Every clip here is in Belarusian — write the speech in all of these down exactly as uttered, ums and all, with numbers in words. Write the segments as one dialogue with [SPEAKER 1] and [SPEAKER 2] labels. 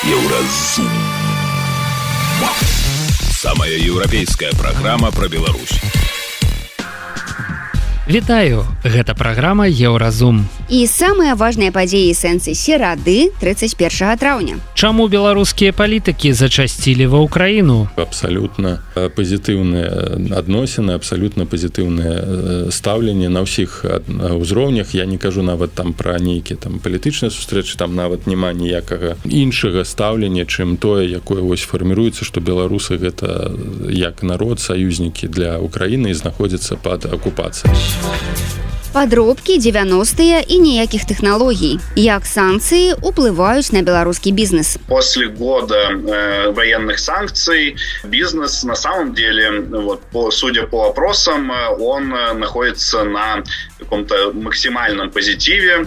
[SPEAKER 1] Еўразум. Самая еўрапейская праграма пра Беларусь.
[SPEAKER 2] Вітаю, гэта праграма Еўразум.
[SPEAKER 3] І самыя важныя падзеі сэнсы серады тридцать первого траўня.
[SPEAKER 2] Чаму беларускія палітыкі зачасцілі ва ўкраіну?
[SPEAKER 4] Абсалютна пазітыўныя адносіны, абсалютна пазітыўнае стаўленне на ўсіх ўзроўнях. Я не кажу нават там пра нейкія там палітычныя сустрэчы, там нават няма ніякага іншага стаўлення, чым тое, якое вось фарміруецца, што беларусы гэта як народ, саюзнікі для Украіны і знаходзяцца пад акупацыяй.
[SPEAKER 3] Падробкі, девяностые і ніякіх тэхналогій. Як санкцыі ўплываюць на беларускі бізнес?
[SPEAKER 5] После года э, военных санкций бизнес на самом деле, вот, по, судя по опросам, он находится на каком-то максимальном позитиве.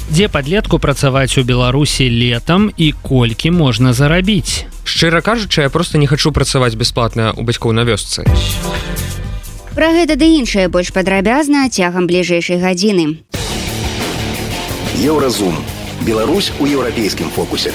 [SPEAKER 2] Дзе падлетку працаваць у Беларусі летам і колькі можна зарабіць?
[SPEAKER 6] Шчыра кажучы, я проста не хачу працаваць бясплатна у бацькоў на вёсцы.
[SPEAKER 3] Пра гэта ды іншае больш падрабязна цягам бліжэйшай гадзіны.
[SPEAKER 1] Еўразум. Беларусь у еўрапейскім фокусе.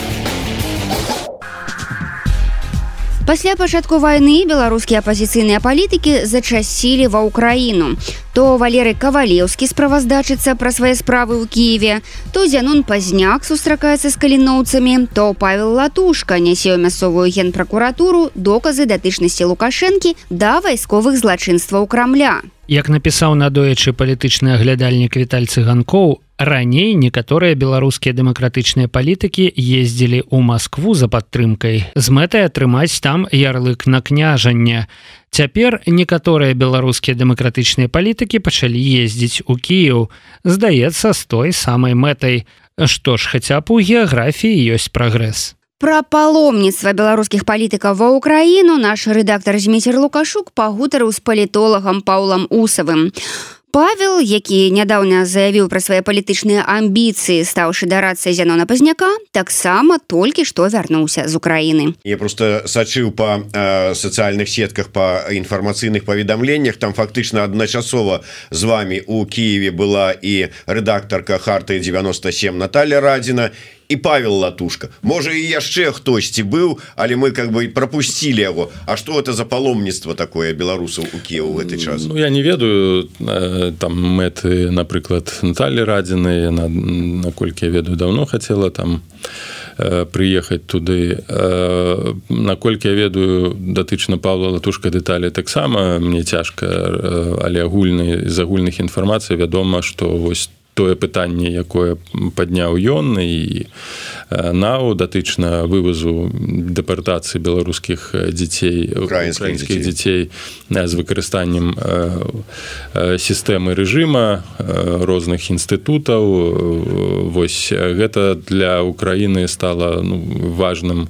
[SPEAKER 3] Пасля пачатку вайны беларускія апазіцыйныя палітыкі зачасілі ва ўкраіну. То Валерый Кавалеўскі справаздачыцца пра свае справы ў Кіеве, то Зянон Пазняк сустракаецца з каліноўцамі, то Павел Латушка нясе ў мясцовую генпракуратуру доказы датычнасці Лукашэнкі да вайсковых злачынстваў Крамля.
[SPEAKER 2] Як напісаў надоечы палітычны аглядальнік Віталь Цыганкоў, раней некаторыя беларускія дэмакратычныя палітыкі ездзілі ў Маскву за падтрымкай з мэтай атрымаць там ярлык на княжанне. Цяпер некаторыя беларускія дэмакратычныя палітыкі пачалі ездзіць у Кіеў, здаецца, з той самай мэтай. Што ж, хаця б у геаграфіі ёсць прагрэс.
[SPEAKER 3] Пра паломніцтва беларускіх палітыкаў ва ўкраіну наш рэдактар Зміцер Лукашук пагутарыў з палітолагам Паўлам Усавым. Павел, які нядаўна заявіў пра свае палітычныя амбіцыі, стаўшы дарадцай Зянона Пазняка, таксама толькі што вярнуўся з Украіны.
[SPEAKER 7] Я просто сачыў па э, сацыяльных сетках, па інфармацыйных паведамленнях. Там фактычна адначасова з вами у Кіеве была і рэдактарка Харты девяносто семь Наталья Радзіна, і Павел Латушка. Можа, і яшчэ хтосьці быў, але мы как бы пропусцілі яго. А што это за паломніцтва такое беларусаў у Кіеву ў гэты час?
[SPEAKER 4] Ну, я не ведаю там мэты, напрыклад, Натальи Радзінай, на, наколькі я ведаю, давно хацела там прыехаць туды. Наколькі я ведаю, датычна Павла Латушка дэталі таксама мне цяжка, але агульны, з агульных інфармацый вядома, што вось тое пытанне, якое падняў ён і нау датычна вывазу дэпартацыі беларускіх дзяцей, украінскіх дзяцей з выкарыстаннем сістэмы рэжыма розных інстытутаў. Вось гэта для Украіны стала ну, важным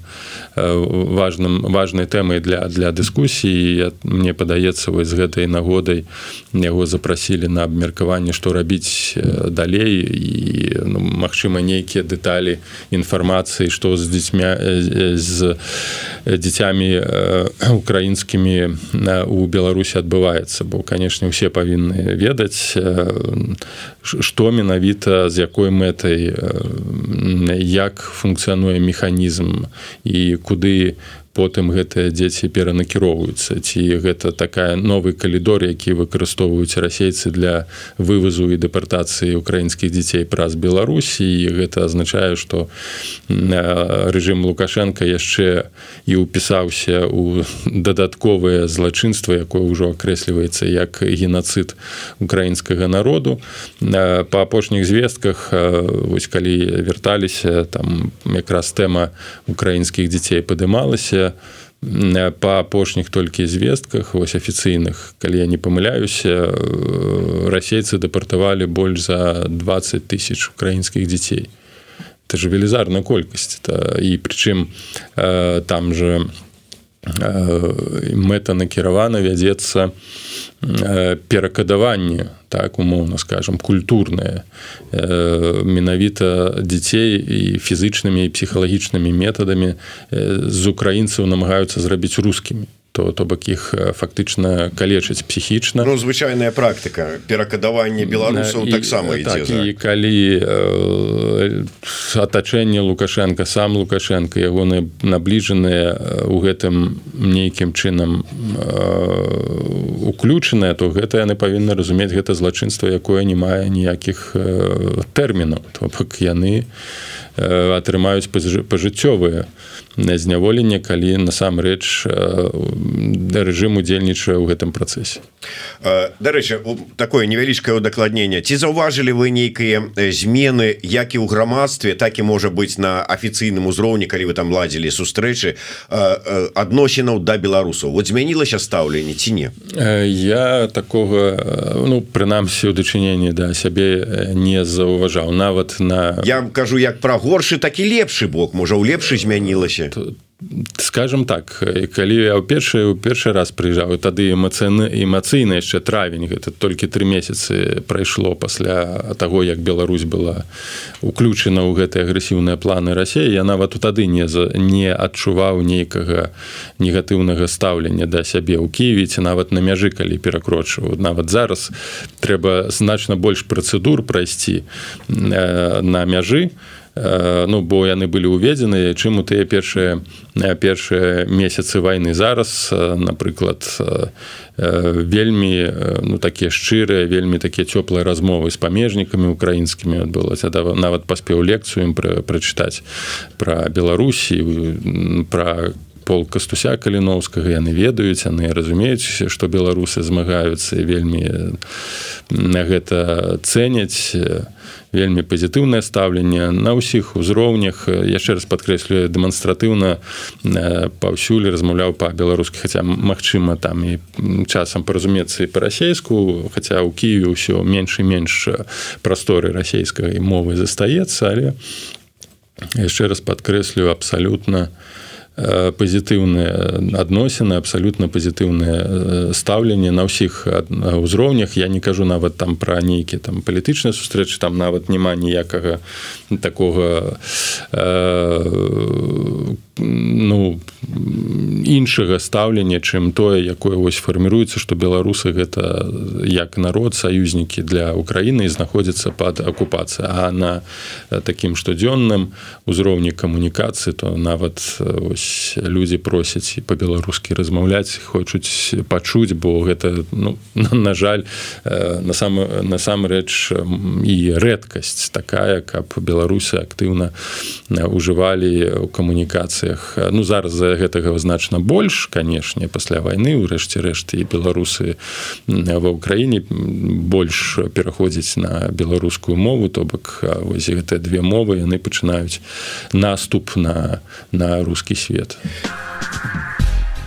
[SPEAKER 4] важным важнай тэмай для для дыскусіі. Мне падаецца, вось з гэтай нагодай яго запрасілі на абмеркаванне, што рабіць далей і ну, магчыма нейкія дэталі інфармацыі, што з дзецьмя з дзіцямі украінскімі у Беларусі адбываецца, бо канешне усе павінны ведаць, што менавіта з якой мэтай, як функцыянуе механізм і куды потым гэтыя дзеці перанакіроўваюцца, ці гэта такая новы калідор, які выкарыстоўваюць расейцы для вывазу і дэпартацыі украінскіх дзяцей праз Беларусь, і гэта азначае, што рэжым Лукашенка яшчэ і ўпісаўся ў дадатковае злачынства, якое ўжо акрэсліваецца як генацыд украінскага народу. Па апошніх звестках, вось калі вярталіся, там якраз тэма украінскіх дзяцей падымалася. Па апошніх толькі звестках, вось афіцыйных, калі я не памыляюся, расейцы дэпартавалі больш за двадцать тысяч украінскіх дзяцей. Это же велізарная колькасць. І прычым там же мэта накіравана вядзецца перакадаванне, так умоўна скажем, культурнае, менавіта дзяцей і фізычнымі і псіхалагічнымі метадамі з украінцаў намагаюцца зрабіць рускімі. то то бок іх фактычна калечыць псіхічна.
[SPEAKER 7] Ну, звычайная практыка перакадавання беларусаў таксама ідзе.
[SPEAKER 4] Так, і калі э, атачэнне Лукашенко, сам Лукашенко, ягоныя набліжаныя у гэтым нейкім чынам э, уключаныя, то гэта яны павінны разумець, гэта злачынства, якое не мае ніякіх э, тэрмінаў. То бок яны э, атрымаюць пажыццёвыя зняволенне, калі насамрэч рэжым удзельнічае ў гэтым працэсе.
[SPEAKER 7] Дарэчы, такое невялічкае удакладненне. Ці заўважылі вы нейкія змены як і ў грамадстве, так і можа быць на афіцыйным узроўні, калі вы там ладзілі сустрэчы, адносінаў да беларусаў? Вот змянілася стаўленне ці не?
[SPEAKER 4] Я такога, ну, прынамсі, у дачыненні да сябе не заўважаў. Нават на...
[SPEAKER 7] Я кажу як пра горшы, так і лепшы бок. Можа, ў лепшы змянілася?
[SPEAKER 4] Скажем так, калі я ў першы, ў першы раз прыязджаў, тады эмацыйна, эмацыйна яшчэ травень, гэта толькі тры месяцы прайшло пасля таго, як Беларусь была уключана ў гэтыя агрэсіўныя планы Расіі, я нават тады не, не адчуваў нейкага негатыўнага стаўлення да сябе ў Кіеве, ці нават на мяжы, калі перакрочваў. Нават зараз трэба значна больш працэдур прайсці на мяжы, ну, бо яны былі уведзены, чым у тыя першыя, першыя месяцы вайны. Зараз, напрыклад, вельмі, ну, такія шчырыя, вельмі такія цёплыя размовы з памежнікамі украінскімі адбылася. Нават паспеў лекцыю ім прачытаць пра Беларусь, пра полк Кастуся Каліноўскага. Яны ведаюць, яны разумеюць, што беларусы змагаюцца, вельмі на гэта цэняць, вельмі пазітыўнае стаўленне на ўсіх узроўнях. Яшчэ раз падкрэслю, дэманстратыўна паўсюль размаўляў па-беларуску, хаця, магчыма, там і часам паразумецца і па-расейску, хаця ў Кіеве ўсё менш і менш прасторы расейскай мовы застаецца, але яшчэ раз падкрэслю, абсалютна пазітыўныя адносіны, абсалютна пазітыўнае стаўленне на ўсіх узроўнях. Я не кажу нават там пра нейкія там палітычныя сустрэчы, там нават няма ніякага такога э, ну, іншага стаўлення, чым тое, якое вось фарміруецца, што беларусы гэта як народ, саюзнікі для Украіны і знаходзяцца пад акупацыяй. А на такім штодзённым узроўні камунікацыі, то нават ось людзі просяць і па-беларускі размаўляць, хочуць пачуць, бо гэта, ну, на жаль, насамрэч і рэдкасць такая, каб беларусы актыўна ўжывалі ў камунікацыях. Ну, зараз за гэтага значна больш, канешне, пасля вайны, урэшце рэшт, і беларусы ва ўкраіне больш пераходзяць на беларускую мову, то бок вось гэтыя две мовы, яны пачынаюць наступ на, на рускі свет.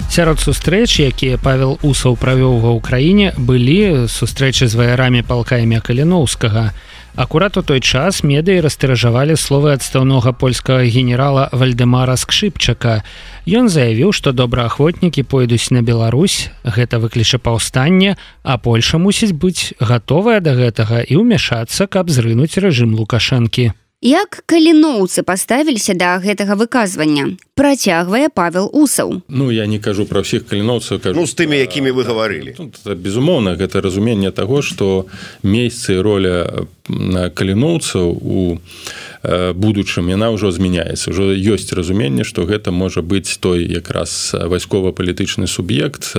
[SPEAKER 2] Сярод сустрэч, якія Павел Усаў правёў ва ўкраіне, былі сустрэчы з ваярамі палка імя Каліноўскага. Акурат у той час медыі растыражавалі словы адстаўнога польскага генерала Вальдэмара Скшыпчака. Ён заявіў, што добраахвотнікі пойдуць на Беларусь, гэта выкліча паўстанне, а Польша мусіць быць гатовая да гэтага і ўмяшацца, каб зрынуць рэжым Лукашэнкі.
[SPEAKER 3] Як каліноўцы паставіліся да гэтага выказвання? Працягвае Павел Усаў.
[SPEAKER 4] Ну, я не кажу пра ўсіх каліноўцаў, кажу...
[SPEAKER 7] Ну, з тымі, якімі вы гаварылі.
[SPEAKER 4] Безумоўна, гэта разуменне таго, што месца і роля каліноўцаў у будучым, яна ўжо змяняецца. Ужо ёсць разуменне, што гэта можа быць той якраз вайскова-палітычны суб'ект,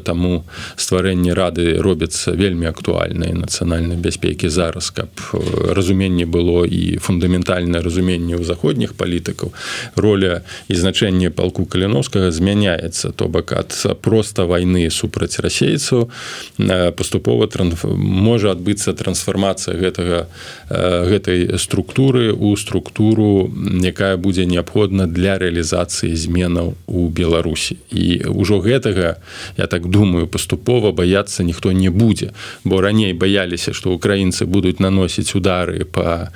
[SPEAKER 4] таму стварэнне рады робіцца вельмі актуальнай нацыянальнай бяспекі зараз, каб разуменне было і фундаментальнае разуменне ў заходніх палітыкаў. Роля і значэнне палку Каліноўскага змяняецца, то бок ад проста вайны супраць расейцаў паступова можа адбыцца трансфармацыя гэтага, гэтай структуры у структуру, якая будзе неабходна для рэалізацыі зменаў у Беларусі. І ўжо гэтага, я так думаю, паступова баяцца ніхто не будзе, бо раней баяліся, што украінцы будуць наносіць удары па,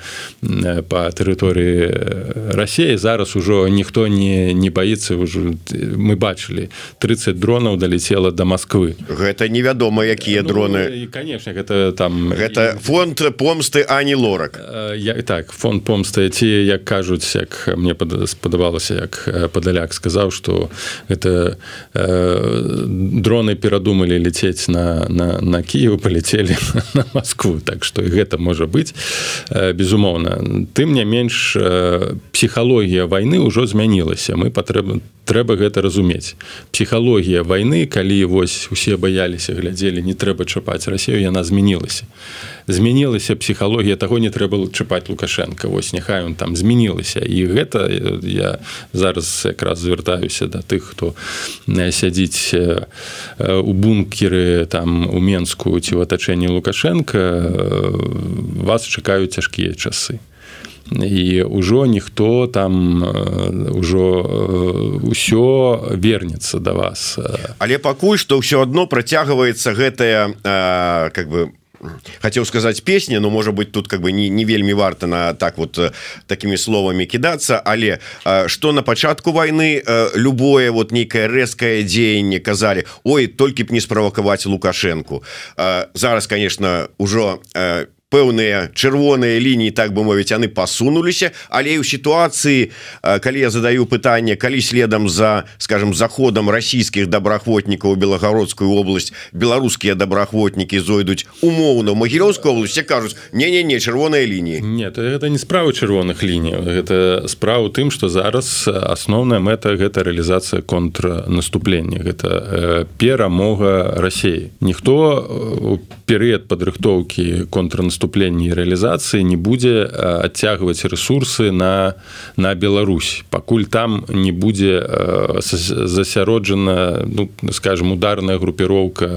[SPEAKER 4] па тэрыторыі Расіі. Зараз ужо ніхто не, не баіцца. Ўжо, мы бачылі, трыццаць дронаў далецела да Масквы.
[SPEAKER 7] Гэта невядома, якія
[SPEAKER 4] ну,
[SPEAKER 7] дроны.
[SPEAKER 4] І, канешне, гэта там...
[SPEAKER 7] Гэта фонд помсты Ані Лорак.
[SPEAKER 4] Я, так, фонд помста ці як кажуць, як мне спадавалася, як Падаляк сказаў, што гэта э, дроны перадумалі летець на, на, на Кіев, паляцелі на Москву, так што і гэта можа быць, э, безумоўна. Тым не менш, э, псіхалогія вайны ўжо змянілася, мы патрэбна трэба гэта разумець. Псіхалогія вайны, калі вось усе баяліся, глядзелі, не трэба чапаць Расію, яна змянілася. Змянілася псіхалогія, таго не трэба чапаць Лукашенка, вось няхай он там змянілася. І гэта я зараз якраз звяртаюся да тых, хто сядзіць у бункеры там у Менску ці ў атачэнні Лукашенка, вас чакаюць цяжкія часы. І ўжо ніхто там ўжо ўсё вернецца да вас.
[SPEAKER 7] Але пакуль што ўсё адно працягваецца гэтая э, как бы хотел сказать песня, но может быть тут как бы не, не вельмі варта на так вот такими словами кидаться, але э, что на пачатку войны э, любое вот некое рэзкае дзеянне казали, ой, толькі б не справакаваць Лукашенку. Э, зараз, конечно, ужо э, пэўныя чырвоныя лініі, так бы мовіць, яны пасунуліся, але і ў сітуацыі, калі я задаю пытанне, калі следам за, скажем, заходам расійскіх добраахвотнікаў у Белагородскую область беларускія добраахвотнікі зойдуць умоўна ў Магілёўскую область, кажуць, не-не-не, чырвоныя лініі.
[SPEAKER 4] Нет, это не справа чырвоных ліній, гэта справа ў тым, што зараз асноўная мэта гэта рэалізацыя контрнаступлення, гэта перамога Расіі. Ніхто у перыяд падрыхтоўкі контрнаступлення наступленні і рэалізацыі не будзе адцягваць рэсурсы на, на Беларусь, пакуль там не будзе засяроджана, ну, скажем, ударная групіроўка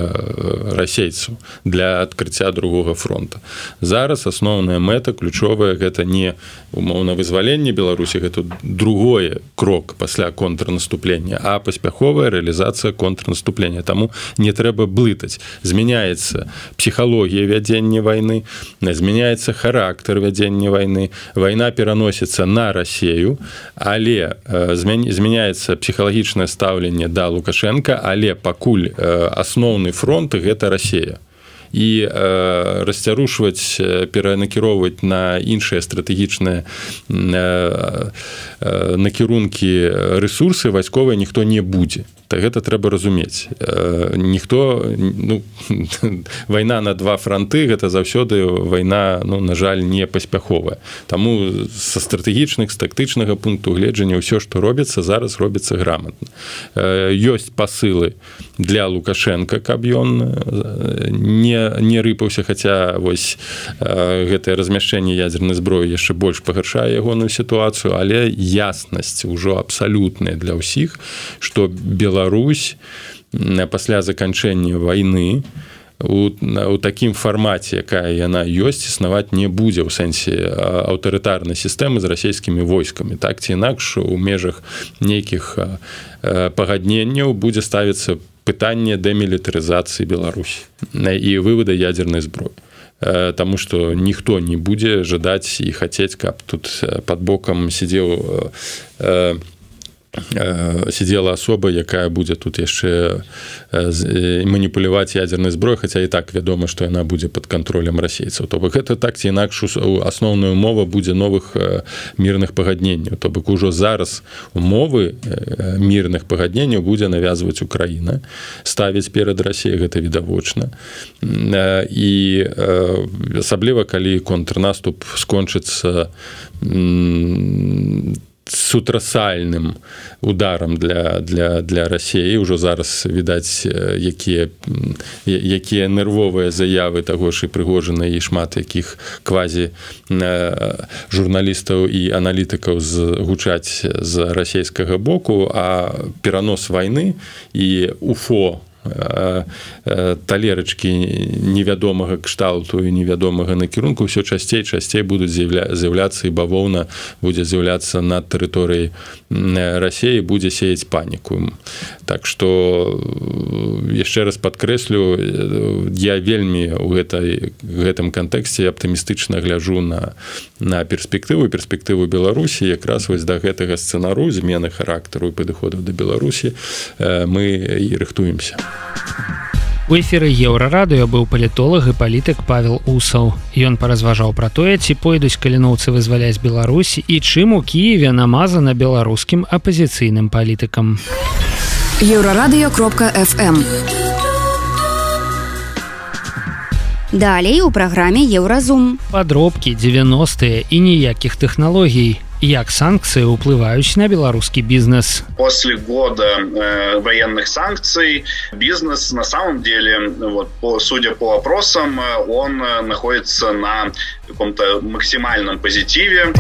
[SPEAKER 4] расейцаў для адкрыцця другога фронта. Зараз асноўная мэта ключовая гэта не умоўна вызваленне Беларусі, гэта другое крок пасля контрнаступлення, а паспяховая рэалізацыя контрнаступлення. Таму не трэба блытаць. Змяняецца псіхалогія вядзення вайны, змяняецца характар вядзення вайны, вайна пераносіцца на Расію, але змяняецца псіхалагічнае стаўленне да Лукашенка, але пакуль асноўны фронт гэта Расія. І э, расцярушваць, перанакіроўваць на іншыя стратэгічныя э, э, накірункі рэсурсы вайсковыя ніхто не будзе. Так гэта трэба разумець. Э, ніхто, ну, вайна на два фронты, гэта заўсёды вайна, ну, на жаль, не паспяховая. Таму са стратэгічных, з тактычнага пункту гледжання ўсё, што робіцца, зараз робіцца граматна. Э, ёсць пасылы для Лукашенка, каб ён не не рыпаўся, хаця вось э, гэтае размяшчэнне ядзернай зброі яшчэ больш пагаршае ягоную сітуацыю, але яснасць ужо абсалютная для ўсіх, што Беларусь пасля заканчэння вайны у, у такім фармаце, якая яна ёсць, існаваць не будзе ў сэнсе аўтарытарнай сістэмы з расійскімі войскамі. Так ці інакш у межах нейкіх э, пагадненняў будзе ставіцца пытанне дэмілітарызацыі Беларусі і вывода ядзернай зброі. Таму што ніхто не будзе жадаць і хацець, каб тут пад бокам сидзеў сидела асоба, якая будзе тут яшчэ маніпуляваць ядзернай зброі, хаця і так вядома, што яна будзе пад кантролем расейцаў. То бок гэта так ці інакш асноўная умова будзе новых мірных пагадненняў. То бок ужо зараз умовы мірных пагадненняў будзе навязваць Украіна, ставіць перад Расіяй, гэта відавочна. І асабліва калі контрнаступ скончыцца сутрасальным ударам для, для, для Расіі. Ужо зараз відаць, якія, якія нервовыя заявы таго ж і Прыгожына, і шмат якіх квазі журналістаў і аналітыкаў гучаць з расійскага боку, а перанос вайны і уфо талерачкі невядомага кшталту і невядомага накірунку ўсё часцей часцей будуць з'яўляцца, і бавоўна будзе з'яўляцца на тэрыторыі Расіі, будзе сеяць паніку. Так што яшчэ раз падкрэслю, я вельмі ў гэтай, гэтым кантэксце аптымістычна гляджу на, на перспектыву перспектыву Беларусі. Якраз вось да гэтага сцэнару змены характару і падыходаў да Беларусі мы і рыхтуемся.
[SPEAKER 2] У эфіры Еўрарадыё быў палітолог і палітык Павел Усаў. Ён паразважаў пра тое, ці пойдуць каліноўцы вызваляць Беларусь і чым у Кіеве намазана беларускім апазіцыйным палітыкам.
[SPEAKER 8] еўрарадыё кропка эф эм.
[SPEAKER 3] Далей у праграме Еўразум.
[SPEAKER 2] Падробкі, дзевяностыя і ніякіх тэхналогій. Як санкции уплывают на белорусский бизнес?
[SPEAKER 5] После года э, военных санкций бизнес на самом деле, вот, по, судя по опросам, он находится на каком-то максимальном позитиве.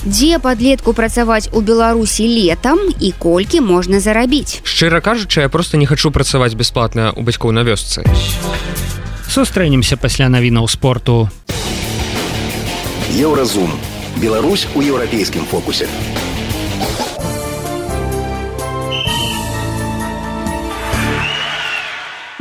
[SPEAKER 3] Дзе падлетку працаваць у Беларусі летам і колькі можна зарабіць?
[SPEAKER 6] Шчыра кажучы, я просто не хочу працаваць бясплатна у бацькоў на вёсцы.
[SPEAKER 2] Сустрэнемся пасля навінаў спорту.
[SPEAKER 1] Еўразум. Беларусь у еўрапейскім фокусе.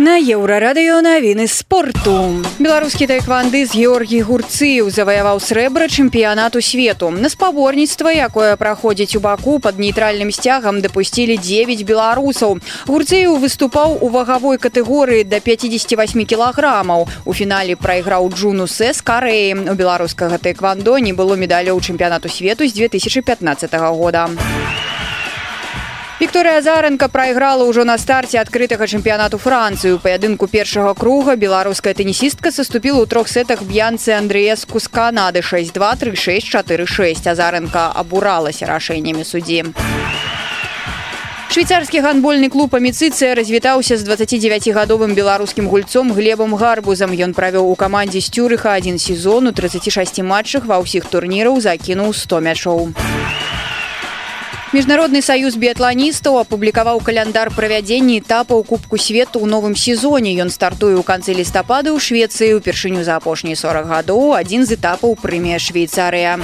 [SPEAKER 9] На еўрарадыё навіны спорту. Беларускі таэквандыст Георгій Гурцыеў заваяваў срэбра чэмпіянату свету. На спаборніцтва, якое праходзіць у Баку пад нейтральным сцягам, дапусцілі дзевяць беларусаў. Гурцыеў выступаў у вагавой катэгорыі да пяцідзесяці васьмі кілаграмаў. У фінале прайграў Джуну Сэ з Карэі. У беларускага таэквандо не было медалёў чэмпіянату свету з две тысячы пятнаццатага года. Вікторыя Азаренка прайграла ўжо на старце адкрытага чэмпіянату Францыі. У паядынку першага круга беларуская тэнісістка саступіла ў трох сетах Б'янцы Андрэеску з Канады шэсць два, тры шэсць, чатыры шэсць. Азаренка абуралася рашэннямі суддзі. Швейцарскі гандбольны клуб «Аміцыцыя» развітаўся з дваццацідзевяцігадовым беларускім гульцом Глебам Гарбузам. Ён правёў у камандзе Стюрыха адзін сезон, у трыццаці шасці матчах ва ўсіх турніраў закінуў сто мячоў. Міжнародны саюз біятланістаў апублікаваў каляндар правядзення этапаў Кубку свету ў новым сезоне. Ён стартуе ў канцы лістапада ў Швецыі. Упершыню за апошнія сорак гадоў адзін з этапаў прэмія Швейцарыя.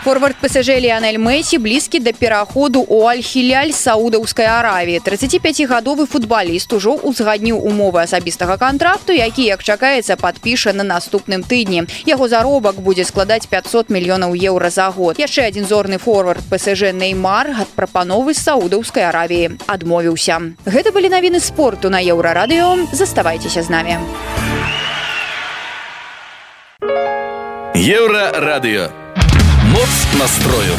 [SPEAKER 9] Форвард Пэ Эс Жэ Ліанель Месі блізкі да пераходу ў Аль-Хіляль Саудаўскай Аравіі. трыццаціпяцігадовы футбаліст ужо узгадніў умовы асабістага кантракту, які, як чакаецца, падпіша на наступным тыдні. Яго заробак будзе складаць пяцьсот мільёнаў еўра за год. Яшчэ адзін зорны форвард Пэ Эс Жэ Неймар ад прапановы з Саудаўскай Аравіі адмовіўся. Гэта былі навіны спорту на Еўрарадыё. Заставайцеся з намі.
[SPEAKER 1] Еўрарадыё. Моц настрою.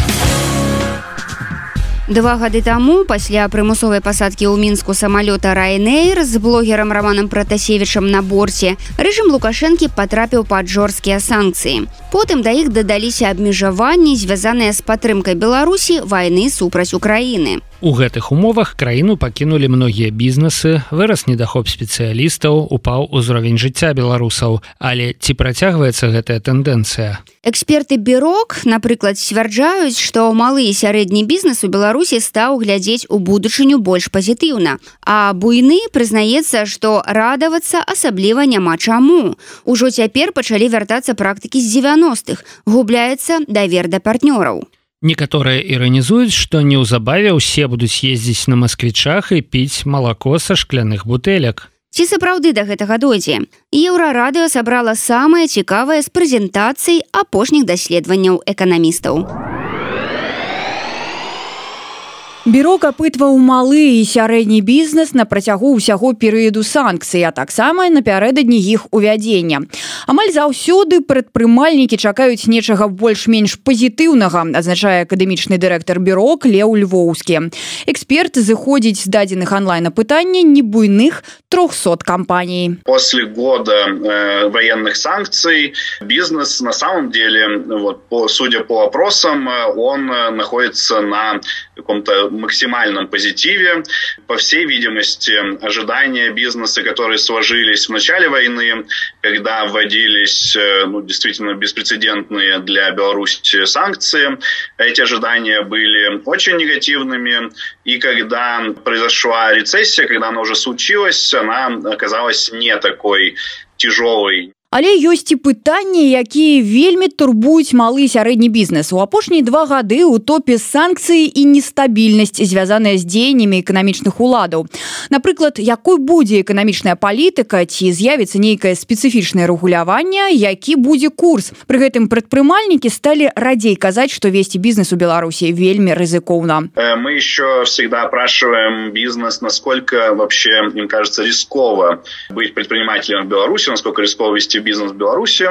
[SPEAKER 3] Два гады таму, пасля прымусовай пасадкі ў Мінску самалёта Ryanair з блогерам Романам Пратасевічам на борце, рэжым Лукашэнкі патрапіў пад жорсткія санкцыі. Потым да іх дадаліся абмежаванні, звязаныя з падтрымкай Беларусі вайны супраць Украіны.
[SPEAKER 2] У гэтых умовах краіну пакінулі многія бізнесы, вырас недахоп спецыялістаў, упаў узровень жыцця беларусаў. Але ці працягваецца гэтая тэндэнцыя?
[SPEAKER 3] Эксперты Бюрок, напрыклад, сцвярджаюць, што малы і сярэдні бізнес у Беларусі стаў глядзець у будучыню больш пазітыўна. А буйны прызнаецца, што радавацца асабліва няма чаму. Ужо цяпер пачалі вяртацца практыкі з дзевяностых. Губляецца давер да партнёраў.
[SPEAKER 2] Некаторыя іранізуюць, што неўзабаве ўсе будуць ездзіць на масквічах і піць малако са шкляных бутэлек.
[SPEAKER 3] Ці сапраўды да гэтага дойдзе? Еўрарадыё сабрала самае цікавае з прэзентацый апошніх даследаванняў эканамістаў.
[SPEAKER 9] Бюро апытваў малы і сярэдні бізнес на працягу ўсяго перыяду санкцый, а таксама напярэдадні іх увядзення. Амаль заўсёды прадпрымальнікі чакаюць нечага больш-менш пазітыўнага, адзначае акадэмічны дырэктар Бюро Леў Львоўскі. Эксперт зыходзіць з дадзеных онлайн-апытання небуйных трёхсот компаний.
[SPEAKER 5] После года э, военных санкций бизнес на самом деле, вот, по, судя по опросам, он находится на каком-то максимальном позитиве. По всей видимости, ожидания бизнеса, которые сложились в начале войны, когда вводились, ну, действительно беспрецедентные для Беларуси санкции, эти ожидания были очень негативными. И когда произошла рецессия, когда она уже случилась, она оказалась не такой тяжелой.
[SPEAKER 9] Але ёсць і пытанні, якія вельмі турбуюць малы і сярэдні бізнес. У апошнія два гады ў топе санкцыі і нестабільнасць, звязаная з дзеяннямі эканамічных уладаў. Напрыклад, якой будзе эканамічная палітыка, ці з'явіцца нейкае спецыфічнае рэгуляванне, які будзе курс. Пры гэтым прадпрымальнікі сталі радзей казаць, што весці бізнес у Беларусі вельмі рызыкоўна.
[SPEAKER 5] Мы еще всегда опрашиваем бизнес, насколько вообще им кажется рисково быть предпринимателем в Беларуси, насколько рисково вести бизнес в Беларуси.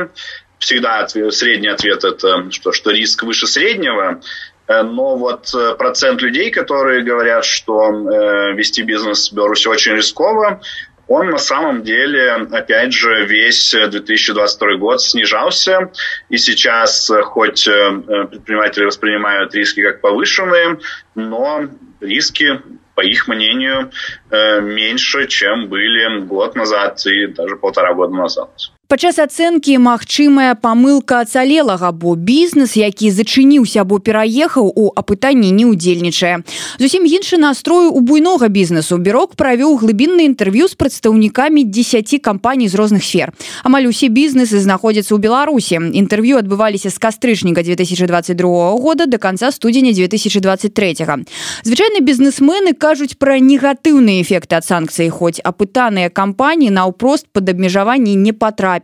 [SPEAKER 5] Всегда ответ, средний ответ это, что, что риск выше среднего. Но вот процент людей, которые говорят, что э, вести бизнес в Беларуси очень рисково, он на самом деле, опять же, весь две тысячи двадцать второй год снижался. И сейчас, хоть предприниматели воспринимают риски как повышенные, но риски, по их мнению, меньше, чем были год назад и даже полтора года назад.
[SPEAKER 9] Падчас ацэнкі магчымая памылка ацалелага, бо бізнес, які зачыніўся або пераехаў, у апытанні не ўдзельнічае. Зусім іншы настрой у буйнога бізнесу. Бюрок правёў глыбінны інтэрв'ю з прадстаўнікамі дзесяці кампаній з розных сфер. Амаль усе бізнесы знаходзяцца ў Беларусі. Інтэрв'ю адбываліся з кастрычніка две тысячи двадцать другого года до канца студзеня две тысячи двадцать третьего. Звычайна бізнесмены кажуць пра негатыўныя эфекты ад санкцый, хоць апытаныя кампаніі наўпрост пад абмежаванні не патрапілі.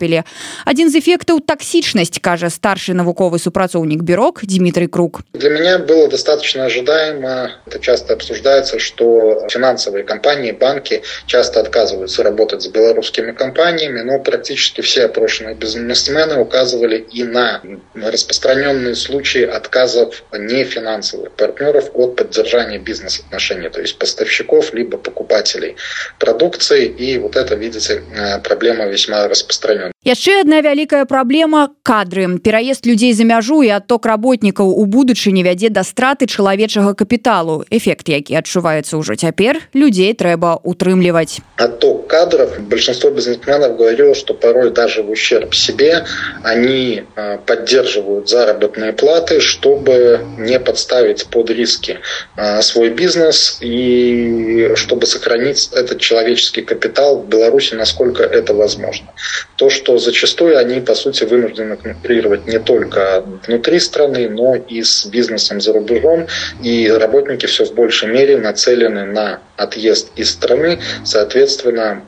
[SPEAKER 9] Один из эффектов – токсичность, кажа старший навуковый супрацоўнік Бюрок Дмитрий Круг.
[SPEAKER 10] Для меня было достаточно ожидаемо. Это часто обсуждается, что финансовые компании, банки часто отказываются работать с белорусскими компаниями, но практически все опрошенные бизнесмены указывали и на распространенные случаи отказов нефинансовых партнеров от поддержания бизнес-отношений, то есть поставщиков либо покупателей продукции. И вот это, видите, проблема весьма распространенная.
[SPEAKER 9] Яшчэ одна вялікая праблема – кадры. Пераезд людзей за мяжу і адток работнікаў у будучыні вядзе да страты чалавечага капіталу. Эффект, які адчуваецца ўжо цяпер, людзей трэба утрымліваць.
[SPEAKER 10] Отток кадров. Большинство бизнесменов говорило, что порой даже в ущерб себе они поддерживают заработные платы, чтобы не подставить под риски свой бизнес и чтобы сохранить этот человеческий капитал в Беларуси, насколько это возможно. То, что зачастую они, по сути, вынуждены конкурировать не только внутри страны, но и с бизнесом за рубежом. И работники все в большей мере нацелены на отъезд из страны. Соответственно,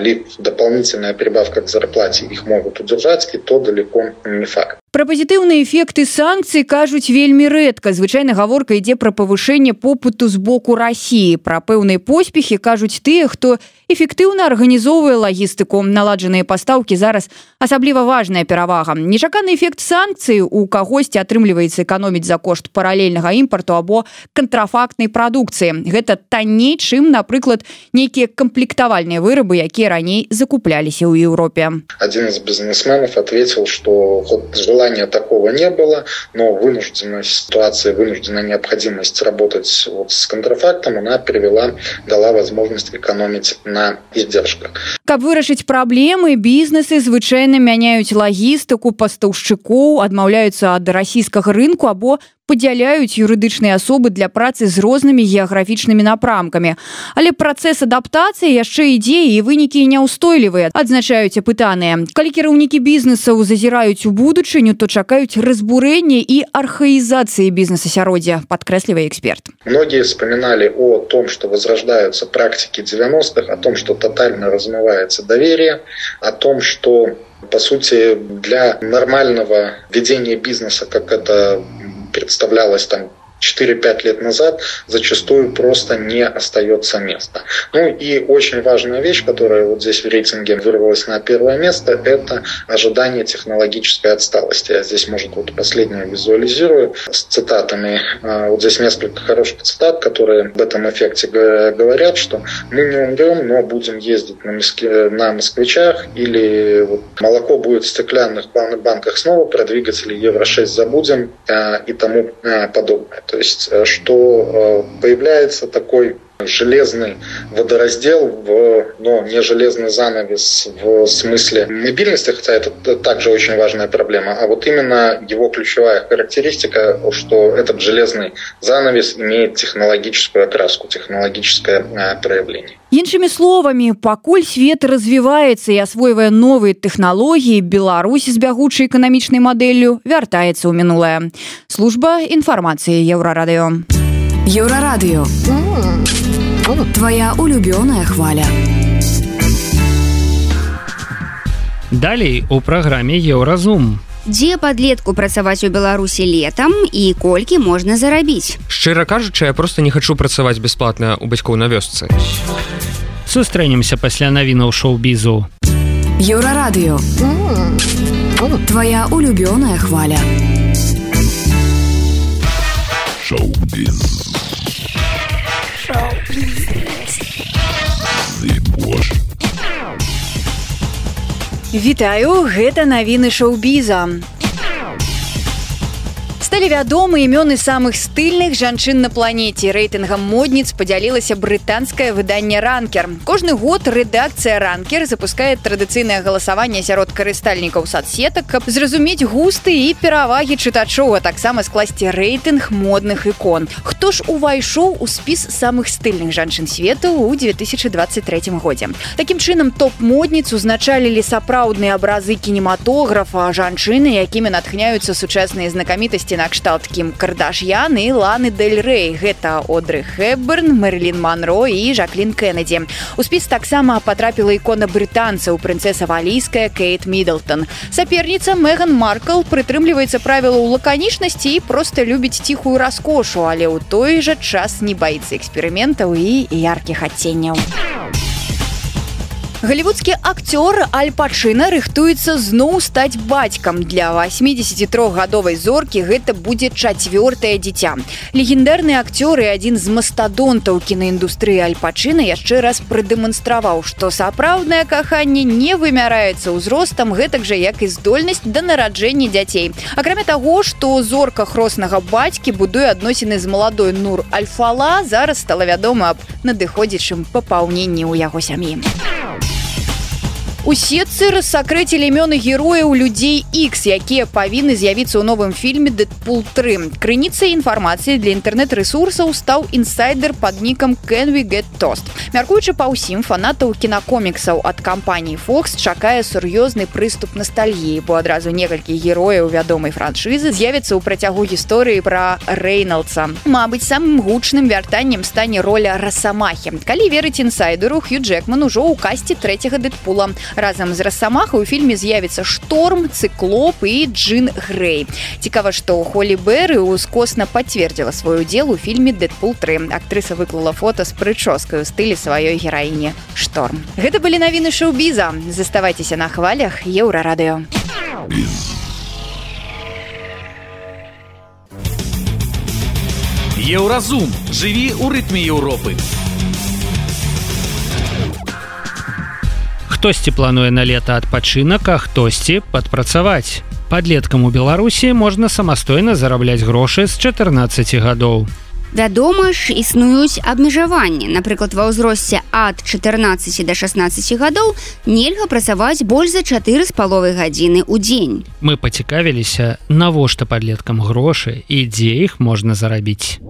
[SPEAKER 10] либо дополнительная прибавка к зарплате их могут удержать, и то далеко не факт.
[SPEAKER 9] Пра пазітыўныя эфекты санкцый кажуць вельмі рэдка. Звычайна гаворка ідзе пра павышэнне попыту з боку Расіі. Пра пэўныя поспехі кажуць тыя, хто эфектыўна арганізоўвае лагістыку. Наладжаныя пастаўкі зараз асабліва важная перавага. Нечаканы эфект санкцый у кагосьці атрымліваецца эканоміць за кошт паралельнага імпарту або кантрафактнай прадукцыі. Гэта танней, чым, напрыклад, нейкія камплектавальныя вырабы, якія раней закупляліся ў Еўропе.
[SPEAKER 10] Один из бизнесменов ответил, что желания такого не было, но вынужденная ситуация, вынужденная необходимость работать вот с контрафактом, она привела, дала возможность экономить на издержках.
[SPEAKER 9] Каб вырашыць праблемы, бізнесы звычайна мяняюць лагістыку пастаўшчыкоў, адмаўляюцца ад расійскага рынку або падзяляюць юрыдычныя асобы для працы з рознымі геаграфічнымі напрамкамі. Але працэс адаптацыі яшчэ ідзе, і вынікі няўстойлівыя, адзначаюць апытаныя. Калі кіраўнікі бізнесаў зазіраюць у будучыню, то чакаюць разбурэння і архаізацыі бізнес-асяроддзя, падкрэслівае эксперт.
[SPEAKER 10] Многие вспоминали о том, что возрождаются практики девяностых, о том, что тотально размывается доверие, о том, что, по сути, для нормального ведения бизнеса, как это представлялось там четыре-пять лет назад, зачастую просто не остается места. Ну и очень важная вещь, которая вот здесь в рейтинге вырвалась на первое место, это ожидание технологической отсталости. Я здесь, может, вот последнее визуализирую с цитатами. Вот здесь несколько хороших цитат, которые об этом эффекте говорят, что мы не умрем, но будем ездить на, Москве, на москвичах, или вот молоко будет в стеклянных банках снова, про двигатели евро шесть забудем и тому подобное. То есть, что появляется такой железный водораздел, в, но не железный занавес в смысле мобильности, хотя это также очень важная проблема, а вот именно его ключевая характеристика, что этот железный занавес имеет технологическую окраску, технологическое э, проявление.
[SPEAKER 9] Іншымі словамі, пакуль свет развіваецца і асвойвае новыя тэхналогіі, Беларусь з бягучай эканамічнай мадэллю вяртаецца ў мінулае. Служба інфармацыі Еўрарадыё.
[SPEAKER 8] Еўрарадыё. Твоя улюбёная хваля.
[SPEAKER 2] Далей у праграме Еўразум.
[SPEAKER 3] Дзе падлетку працаваць у Беларусі летам і колькі можна зарабіць?
[SPEAKER 6] Шчыра кажучы, я просто не хачу працаваць бясплатна ў бацькоў на вёсцы.
[SPEAKER 2] Сустрэнемся пасля навінаў шоу-бізу.
[SPEAKER 8] Еўрарадыё. Твоя улюбёная хваля.
[SPEAKER 1] Шоу-біз.
[SPEAKER 9] Вітаю, гэта навіны шоу-біза. Сталі вядомы імёны самых стыльных жанчын на планеце. Рэйтынгам модніц падзялілася брытанскае выданне «Ранкер». Кожны год рэдакцыя «Ранкер» запускае традыцыйнае галасаванне сярод карыстальнікаў садсетак, каб зразумець густы і перавагі чытачоў, а таксама скласці рэйтынг модных ікон. Хто ж увайшоў у спіс самых стыльных жанчын свету ў две тысячы двадцать третьем годзе? Такім чынам, топ-модніц узначалілі сапраўдныя абразы кінематографа, жанчыны, якімі натхняюцца сучасныя знакамітасці на кшталт Кім Кардашьян і Ланы Дель Рэй. Гэта Одры Хепберн, Мэрилін Монро і Жаклін Кеннеді. У спіс таксама патрапіла ікона брытанцаў, прынцэса валійская Кейт Міддлтон. Саперніца Меган Маркл прытрымліваецца правілаў лаканічнасці і проста любіць ціхую раскошу, але ў той жа час не баіцца эксперыментаў і яркіх адценняў. Голливудскі акцёр Аль Пачына рыхтуецца зноў стаць бацькам. Для восьмидесятитрохгадовай зоркі гэта будзе чацвёртае дзіця. Легендарны акцёр і адзін з мастадонтаў кінаіндустрыі Аль Пачына яшчэ раз прадэманстраваў, што сапраўднае каханне не вымяраецца ўзростам, гэтак жа як і здольнасць да нараджэння дзяцей. Акрамя таго, што зорка хроснага бацькі будуе адносіны з маладой Нур Аль-Фала, зараз стала вядома аб надыходзячым папаўненні ў яго сям'і. У сетцы рассакрэцілі імёны герояў людзей Ікс, якія павінны з'явіцца ў новым фільме «Дэдпул тры». Крыніцай інфармацыі для інтэрнэт-рэсурсаў стаў інсайдер пад нікам «Can we get toast?». Мяркуючы па ўсім, фанатаў кінакоміксаў ад кампаніі Fox чакае сур'ёзны прыступ настальгіі, бо адразу некалькі герояў вядомай франшызы з'явіцца ў працягу гісторыі пра Рэйналдса. Мабыць, самым гучным вяртаннем стане роля Расамахі. Калі верыць інсайдеру, Хью Джекман ужо ў касце трэцяга «Дэдпула». Разам з Расамахай у фільме з'явіцца Шторм, Цыклоп і Джин Грэй. Цікава, што Холі Берры ускосна пацвердзіла свой удзел у фільме «Дэдпул тры». Актрыса выклала фота з прычоскай у стылі сваёй гераіні Шторм. Гэта былі навіны шоу-біза. Заставайцеся на хвалях Еўрарадыё.
[SPEAKER 1] Еўразум. Жыві ў рытме Еўропы.
[SPEAKER 2] Хтосьці плануе на лета адпачынак, а хтосьці падпрацаваць. Падлеткам у Беларусі можна самастойна зарабляць грошы з чатырнаццаці гадоў.
[SPEAKER 3] Вядома ж, існуюць абмежаванні. Напрыклад, ва ўзросце ад чатырнаццаці да шаснаццаці гадоў нельга працаваць больш за чатыры з паловай гадзіны ў дзень.
[SPEAKER 2] Мы пацікавіліся, навошта падлеткам грошы і дзе іх можна зарабіць.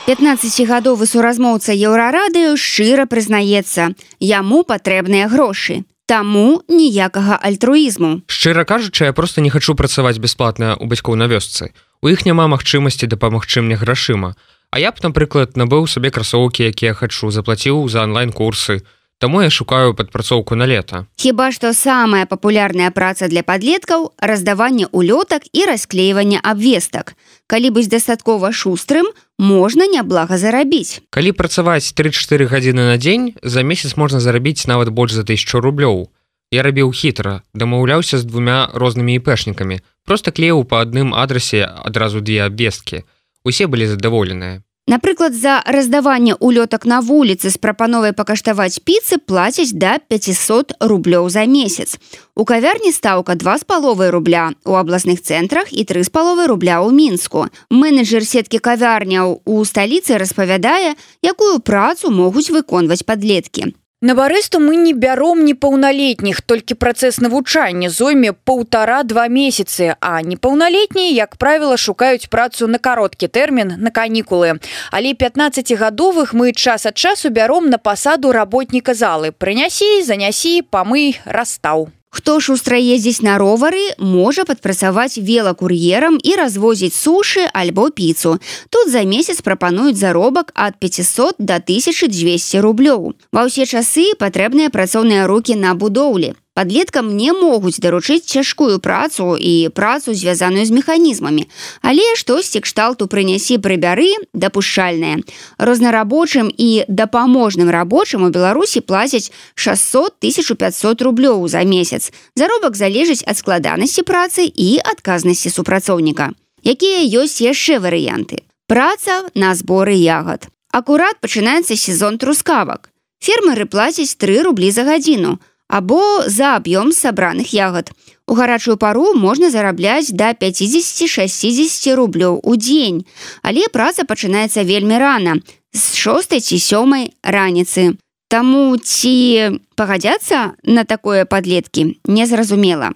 [SPEAKER 3] пятнаццацігадовы суразмоўца Еўрарадыё шчыра прызнаецца, яму патрэбныя грошы. Таму ніякага альтруізму.
[SPEAKER 6] Шчыра кажучы, я просто не хачу працаваць бясплатна ў бацькоў на вёсцы. У іх няма магчымасці дапамагчы мне грашыма. А я б, напрыклад, набыў сабе красоўкі, якія хачу, заплаціў за онлайн-курсы. Таму я шукаю падпрацоўку на лета.
[SPEAKER 3] Хіба што самая папулярная праца для падлеткаў – раздаванне улётак і расклейванне абвестак. Калі быць дастаткова шустрым, можна няблага зарабіць.
[SPEAKER 6] Калі працаваць тры-чатыры гадзіны на дзень, за месяц можна зарабіць нават больш за тысячу рублёў. Я рабіў хітра, дамаўляўся з двумя рознымі іпэшнікамі. Проста клеіў па адным адрасе адразу две абвесткі. Усе былі задаволеныя.
[SPEAKER 3] Напрыклад, за раздаванне улётак на вуліцы з прапановай пакаштаваць піцы плацяць да пятьсот рублёў за месяц. У кавярні стаўка два з паловай рубля, у абласных цэнтрах і тры з паловай рубля ў Мінску. Менеджер сеткі кавярняў у сталіцы распавядае, якую працу могуць выконваць падлеткі.
[SPEAKER 9] На барысту мы не бяром непаўналетніх, толькі працэс навучання зойме паўтара-два месяцы, а непаўналетнія, як правіла, шукаюць працу на кароткі тэрмін, на канікулы. Але пятнаццацігадовых мы час ад часу бяром на пасаду работніка залы. Прынясі, занясі, памый, расстаў.
[SPEAKER 3] Хто шустра ездзіць на ровары, можа падпрацаваць велакур'ерам і развозіць сушы альбо піцу. Тут за месяц прапануюць заробак ад пятьсот да тысячи двухсот рублёў. Ва ўсе часы патрэбныя працоўныя рукі на будоўлі. Падлеткам не могуць даручыць цяжкую працу і працу, звязаную з механізмамі. Але штосьці кшталту прынясі, прыбяры дапушчальнае. Рознарабочым і дапаможным рабочым у Беларусі плацяць шэсцьсот - тысячу пятьсот рублёў за месяц. Заробак залежыць ад складанасці працы і адказнасці супрацоўніка. Якія ёсць яшчэ варыянты? Праца на зборы ягад. Акурат пачынаецца сезон трускавак. Фермеры плацяць тры рублі за гадзіну, або за аб'ём сабраных ягад. У гарачую пару можна зарабляць да пятьдесят - шестьдесят рублёў у дзень, але праца пачынаецца вельмі рана, з шостай ці сёмай раніцы. Таму ці пагадзяцца на такое падлеткі незразумела.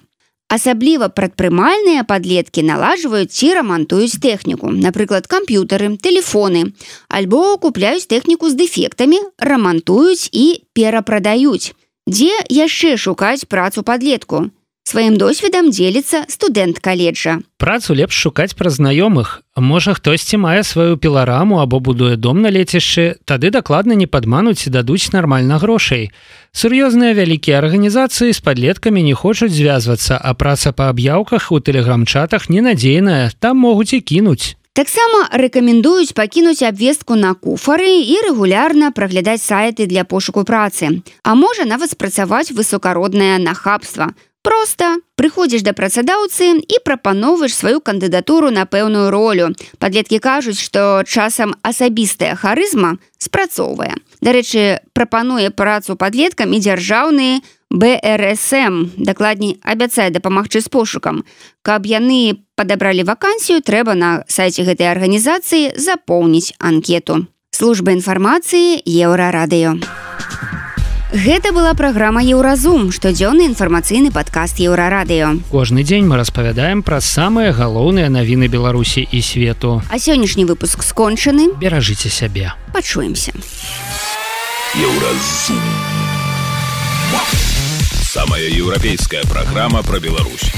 [SPEAKER 3] Асабліва прадпрымальныя падлеткі наладжваюць ці рамантуюць тэхніку, напрыклад, камп'ютары, тэлефоны, альбо купляюць тэхніку з дэфектамі, рамантуюць і перапрадаюць. Дзе яшчэ шукаць працу падлетку? Сваім досведам дзеліцца студэнт каледжа.
[SPEAKER 2] Працу лепш шукаць праз знаёмых. Можа, хтосьці мае сваю пілараму або будуе дом на лецішчы, тады дакладна не падмануць і дадуць нармальна грошай. Сур'ёзныя вялікія арганізацыі з падлеткамі не хочуць звязвацца, а праца па аб'яўках у тэлеграм-чатах ненадзейная, там могуць і кінуць.
[SPEAKER 3] Таксама рэкамендуюць пакінуць абвестку на куфары і рэгулярна праглядаць сайты для пошуку працы. А можа нават спрацаваць высокароднае нахабства. Проста прыходзіш да працадаўцы і прапаноўваеш сваю кандыдатуру на пэўную ролю. Падлеткі кажуць, што часам асабістая харызма спрацоўвае. Дарэчы, прапануе працу падлеткам і дзяржаўны бэ эр эс эм, дакладней, абяцае дапамагчы з пошукам. Каб яны падабралі вакансію, трэба на сайце гэтай арганізацыі запоўніць анкету. Служба інфармацыі Еўрарадыё. Гэта была праграма «Еўразум», штодзённы інфармацыйны падкаст Еўрарадыё.
[SPEAKER 2] Кожны дзень мы распавядаем пра самыя галоўныя навіны Беларусі і свету.
[SPEAKER 3] А сённяшні выпуск скончаны.
[SPEAKER 2] Беражыце сябе.
[SPEAKER 3] Пачуемся.
[SPEAKER 11] Еўразум. Самая еўрапейская праграма пра Беларусь.